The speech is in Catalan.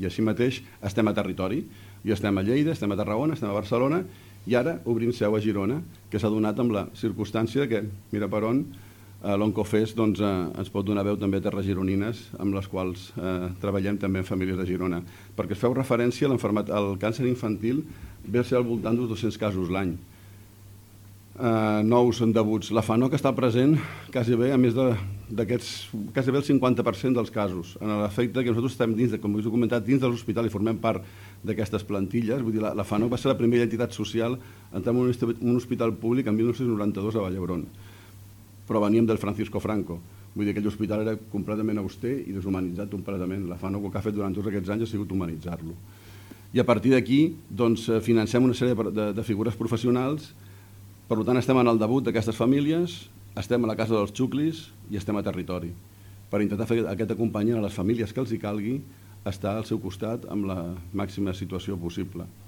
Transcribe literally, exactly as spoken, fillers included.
I així mateix estem a territori. I estem a Lleida, estem a Tarragona, estem a Barcelona, i ara obrim seu a Girona, que s'ha donat amb la circumstància que, mira per on, eh, l'Oncofest doncs, eh, ens pot donar veu també a terres gironines, amb les quals eh, treballem també en famílies de Girona. Perquè es feu referència a l'enfermetat, al càncer infantil, ve a ser al voltant d'uns dos-cents casos l'any. Uh, nous debuts. La FANOC està present quasi bé a més d'aquests, quasi bé el cinquanta per cent dels casos, en l'efecte que nosaltres estem dins, de, com us he comentat, dins de l'hospital i formem part d'aquestes plantilles. Vull dir, la, la FANOC va ser la primera entitat social en entrar en un, un hospital públic en mil nou-cents noranta-dos a Vall d'Hebron, però veníem del Francisco Franco. Vull dir, aquell hospital era completament auster i deshumanitzat completament. La FANOC el que ha fet durant tots aquests anys ha sigut humanitzar-lo. I a partir d'aquí doncs, financem una sèrie de, de, de figures professionals. Per tant, estem en el debut d'aquestes famílies, estem a la casa dels xuclis i estem a territori, per intentar fer aquest acompanyament a les famílies que els hi calgui estar al seu costat amb la màxima situació possible.